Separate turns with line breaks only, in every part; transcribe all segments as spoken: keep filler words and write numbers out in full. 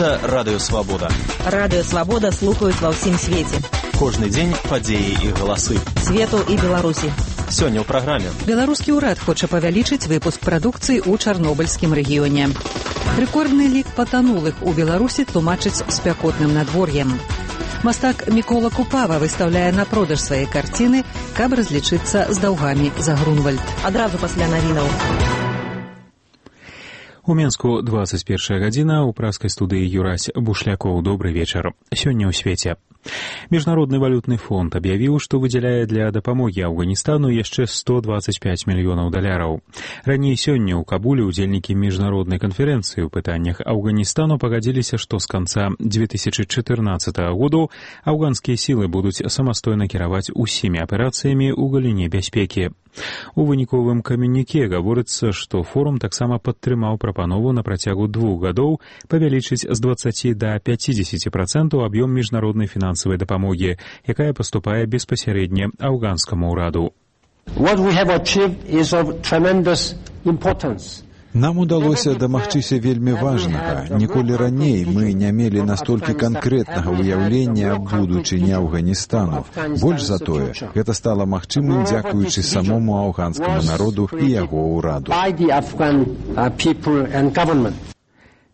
Гэта Радыё Свабода.
Радыё Свабода слухаюць ва ўсім свеце.
Кожны дзень падзеі і галасы.
Свету і Беларусі.
Сёння ў праграме.
Беларускі ўрад хоча павялічыць выпуск прадукцыі ў чарнобыльскім рэгіёне. Рэкордны лік патанулых у Беларусі тлумачыць спякотным надвор'ем. Мастак Мікола Купава выстаўляе на продаж свае карціны, каб разлічыцца з даўгамі за Грунвальд.
Адразу пасля навінаў.
У Менску двадцать первая гадзіна, у праскай студыі Юрась Бушлякоў. Добры вечар. Сёння ў свеце. Міжнародны валютны фонд аб'явіў, што выдзяляе для дапамогі Афганістану яшчэ сто двадцать пять мільёнаў даляраў. Раней сёння ў Кабуле ўдзельнікі міжнароднай канферэнцыі ў пытаннях Афганістану пагадзіліся, што з канца две тысячи чатырнаццатага году афганскія сілы будуць самастойна кіраваць усімі аперацыямі ў галіне бяспекі. У выніковым камюніке гаворыцца, што форум таксама падтрымаў прапанову на працягу двух гадоў павялічыць з дваццаці да пяцідзесяці працэнтаў аб'ём міжнароднай фінансавай дапамогі, якая паступае беспасярэдне афганскаму ўраду.
What we have achieved is of tremendous importance.
Нам удалося дамагчыся вельмі важнага. Ніколі раней мы не мелі настолькі канкрэтнага ўяўлення аб будучыні Афганістану. Больш за тое, гэта стала магчымым дзякуючы самому афганскаму народу і яго ўраду.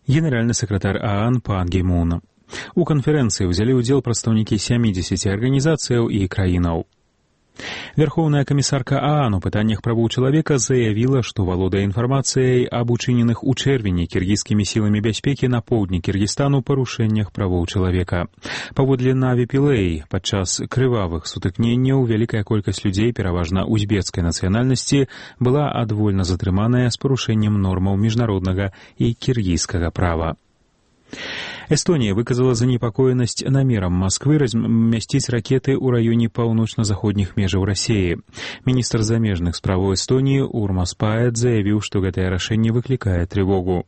Генеральны сакратар ААН Пан Гі Мун. У канферэнцыі ўзялі ўдзел прадстаўнікі сямідзесяці арганізацыяў і краінаў. Верхоўная камісарка ААН у пытаннях правоў чалавека заявіла, што валодае інфармацыяй аб учыненых у чэрвені кіргізскімі сіламі бяспекі на поўдні Кіргізстану парушэннях правоў чалавека. Паводле Наві Пілэй, падчас крывавых сутыкненняў вялікая колькасць людзей, пераважна узбецкай нацыянальнасці, была адвольна затрыманая з парушэннем нормаў міжнароднага і кіргізскага права. Эстонія выказала занепакоенасць намерам Масквы размясціць ракеты ў раёне паўночна-заходніх межаў Расіі. Міністр замежных справаў Эстоніі Урмас Паэт заявіў, што гэтае рашэнне выклікае трывогу.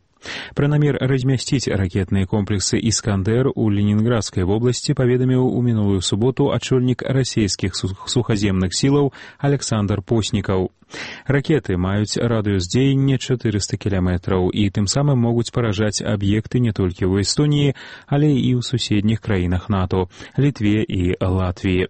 Пра намер размясціць ракетныя комплексы «Іскандэр» у Ленінградскай вобласці паведаміў у мінулую суботу ачольнік расійскіх сухаземных сілаў Александр Поснікаў. Ракеты маюць радыус дзеяння чатырыста кіламетраў і тым самым могуць паражаць аб'екты не толькі ў Эстоніі, але і ў суседніх краінах НАТО – Літве і Латвіі.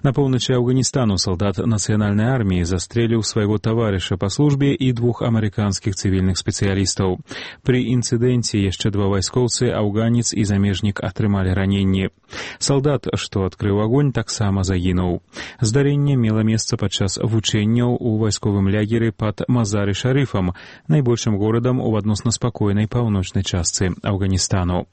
На поўначы Афганістану салдат нацыянальнай арміі застрэліў свайго таварыша па службе і двух амерыканскіх цывільных спецыялістаў. Пры інцыдэнце яшчэ два вайскоўцы, афганец і замежнік, атрымалі раненні. Салдат, што адкрыў агонь, таксама загінуў. Здарэнне мела месца падчас вучэнняў у вайсковым лягеры пад Мазары-Шарыфам, найбольшым горадам у адносна спакойнай паўночнай частцы Афганістану.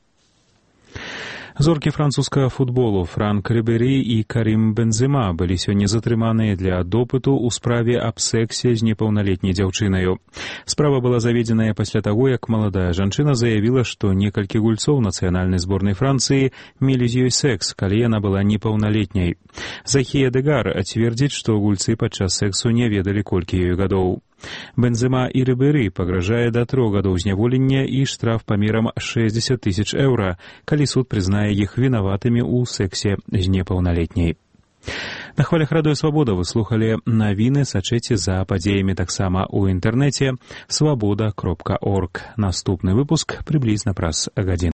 Зоркі французскага футболу Франк Рыбері і Карим Бензема былі сёння затрыманыя для допыту ў справе аб сексе з непаўналетняй дзяўчынаю. Справа была заведзеная пасля таго, як маладая жанчына заявіла, што некалькі гульцоў нацыянальнай зборнай Францыі мелі з ёй секс, калі яна была непаўналетняй. Захія Дегар цвердзіць, што гульцы падчас сексу не ведалі, колькі ёй гадоў. Бензема і Рыбері пагражае да трох гадоў зняволення і штраф памерам шэсцьдзесят тысяч еўра, калі суд прызнае іх вінаватымі ў сексе з непаўналетняй. На хвалях Радыё Свабода вы слухалі навіны, сачыце за падзеямі таксама ў інтэрнэце свабода кропка орг. Наступны выпуск прыблізна праз гадзіну.